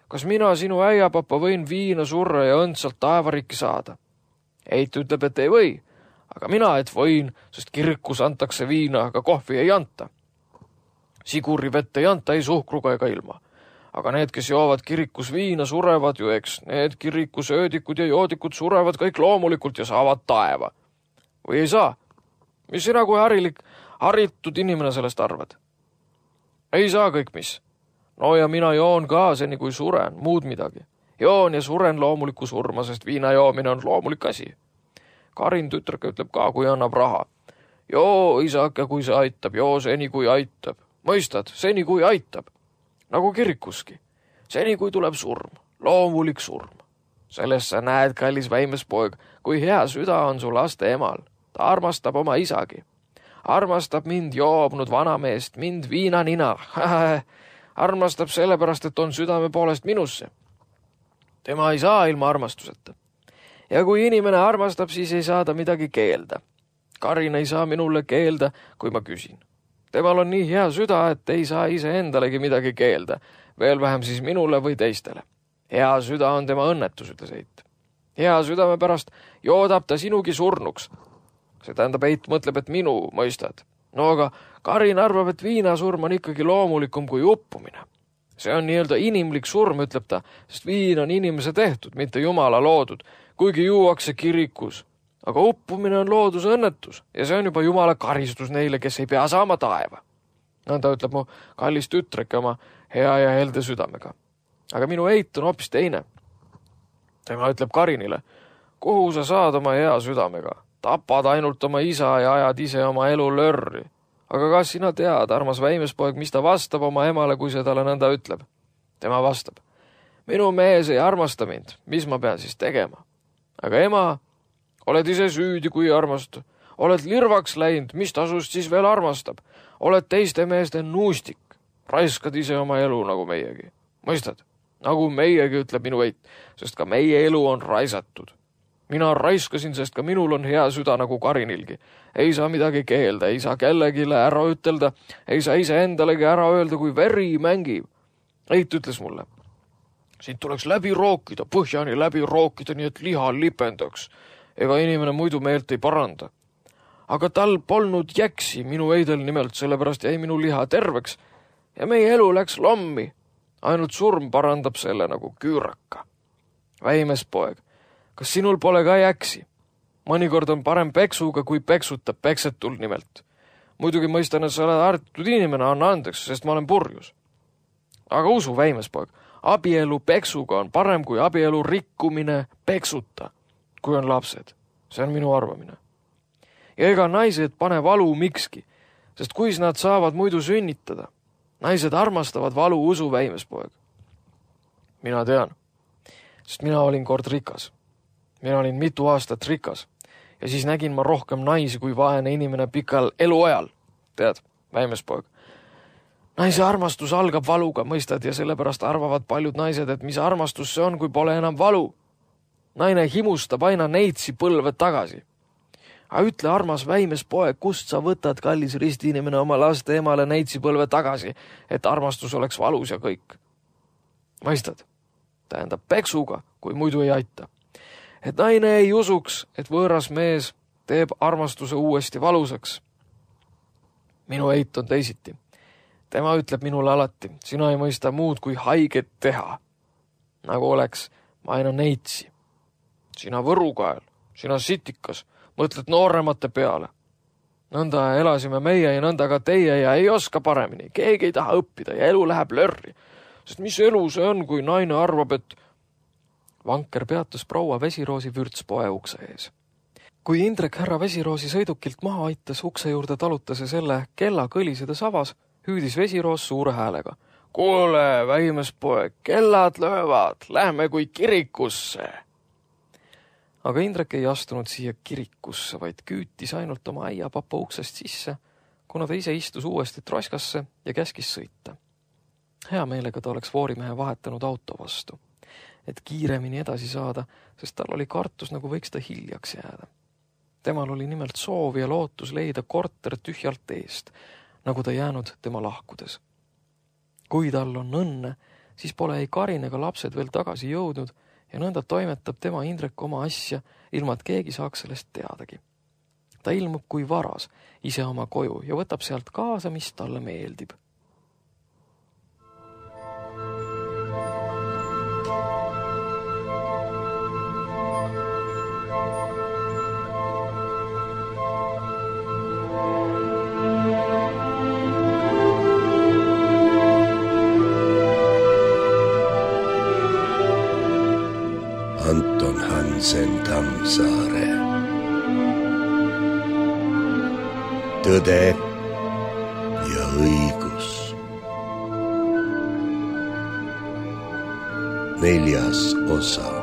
Kas mina, sinu äiapapa, võin viina surra ja õndsalt taevarikki saada? Eit ütleb, et ei või, aga mina, et võin, sest kirikus antakse viina, aga kohvi ei anta. Siguri vett ei anta ei suhkruga ega ilma. Aga need, kes joovad kirikus viina, surevad ju, eks. Need kirikus öödikud ja joodikud surevad kõik loomulikult ja saavad taeva. Või ei saa? Mis sina kui harilik, haritud inimene sellest arvad? Ei saa kõik mis. No ja mina joon ka seni kui suren, muud midagi. Joon ja suren loomulikku surma, sest viina joomine on loomulik asi. Karin tütreke ütleb ka, kui annab raha. Joo, isake, kui see aitab, joo seni kui aitab. Mõistad, seni kui aitab. Nagu kirikuski. Seni kui tuleb surm, loomulik surm. Sellest sa näed, kallis väimespoeg, kui hea süda on su laste emal. Ta armastab oma isagi. Armastab mind joobnud vanameest, mind viinanina. Armastab sellepärast, et on südame poolest minusse. Tema ei saa ilma armastuseta. Ja kui inimene armastab, siis ei saa ta midagi keelda. Karin ei saa minule keelda, kui ma küsin. Temal on nii hea süda, et ei saa ise endalegi midagi keelda, veel vähem siis minule või teistele. Hea süda on tema õnnetus, ütles Eit. Hea südame pärast joodab ta sinugi surnuks. See tähendab, Eit mõtleb, et minu mõistad. No aga Karin arvab, et viinasurm on ikkagi loomulikum kui uppumine. See on nii-öelda inimlik surm, ütleb ta, sest viin on inimese tehtud, mitte jumala loodud, kuigi juuakse kirikus. Aga uppumine on looduse õnnetus ja see on juba jumala karistus neile, kes ei pea saama taeva. Nõnda ütleb mu kallis tütreke oma hea ja helde südamega. Aga minu Eit on hoopis teine. Tema ütleb Karinile, kuhu sa saad oma hea südamega? Tapad ainult oma isa ja ajad ise oma elu lörri. Aga kas sina tead, armas väimespoeg, mis ta vastab oma emale, kui see talle nõnda ütleb? Tema vastab, minu mees ei armasta mind, mis ma pean siis tegema? Aga ema, oled ise süüdi, kui ei armasta. Oled lirvaks läinud, mis tasust siis veel armastab? Oled teiste meeste nuustik. Raiskad ise oma elu nagu meiegi. Mõistad? Nagu meiegi, ütleb minu Eit, sest ka meie elu on raisatud. Mina raiskasin, sest ka minul on hea süda nagu Karinilgi. Ei saa midagi keelda, ei saa kellegile ära ütelda, ei saa ise endalegi ära öelda, kui veri mängib. Eit ütles mulle, siit tuleks läbi rookida, põhjani läbi rookida, nii et liha lipendaks. Ega inimene muidu meelt ei paranda. Aga tal polnud jäksi minu Eidel nimelt, sellepärast jäi minu liha terveks ja meie elu läks lommi. Ainult surm parandab selle nagu küüraka. Väimespoeg, kas sinul pole ka jäksi? Mõnikord on parem peksuga, kui peksutab peksetul nimelt. Muidugi mõistan, et sa oled hartud inimene, anna andeks, sest ma olen purjus. Aga usu, väimespoeg, abielu peksuga on parem kui abielu rikkumine peksuta. Kui on lapsed. See on minu arvamine. Ja ega naised pane valu mikski, sest kuis nad saavad muidu sünnitada. Naised armastavad valu, usu, väimespoeg. Mina tean, sest mina olin kord rikas. Mina olin mitu aastat rikas ja siis nägin ma rohkem naisi kui vaene inimene pikal eluajal. Tead, väimespoeg. Naise armastus algab valuga, mõistad, ja sellepärast arvavad paljud naised, et mis armastus see on, kui pole enam valu. Naine himustab aina neitsi põlved tagasi. Aga ütle, armas väimespoeg, kust sa võtad, kallis risti inimene, oma laste emale neitsi põlve tagasi, et armastus oleks valus ja kõik. Mõistad? Tähendab peksuga, kui muidu ei aita. Et naine ei usuks, et võõras mees teeb armastuse uuesti valusaks. Minu Eit on teisiti. Tema ütleb minule alati, sina ei mõista muud kui haiget teha. Nagu oleks ma aina neitsi. Sina võrukael, sina sitikas, mõtled nooremate peale. Nõnda elasime meie ja nõnda ka teie ja ei oska paremini. Keegi ei taha õppida ja elu läheb lörri. sest mis elu see on, kui naine arvab, et... Vanker peatus proua Vesiroosi vürtspoe ukse ees. Kui Indrek härra Vesiroosi sõidukilt maha aitas, ukse juurde talutas ja selle kella kõlisedes avas, hüüdis Vesiroos suure häälega. Kuule, väimespoeg, kellad löövad, lähme kui kirikusse. Aga Indrek ei astunud siia kirikusse, vaid küütis ainult oma äiapapa uksest sisse, kuna ta ise istus uuesti troskasse ja käskis sõita. Hea meelega ta oleks voorimehe vahetanud auto vastu, et kiiremini edasi saada, sest tal oli kartus, nagu võiks ta hiljaks jääda. Temal oli nimelt soov ja lootus leida korter tühjalt eest, nagu ta jäänud tema lahkudes. Kui tal on õnne, siis pole ei Karin ega lapsed veel tagasi jõudnud ja nõnda toimetab tema Indrek oma asja, ilma et keegi saaks sellest teadagi. Ta ilmub kui varas ise oma koju ja võtab sealt kaasa, mis talle meeldib. Anton Hansen Tammsaare. Tõde ja õigus. Neljas osa.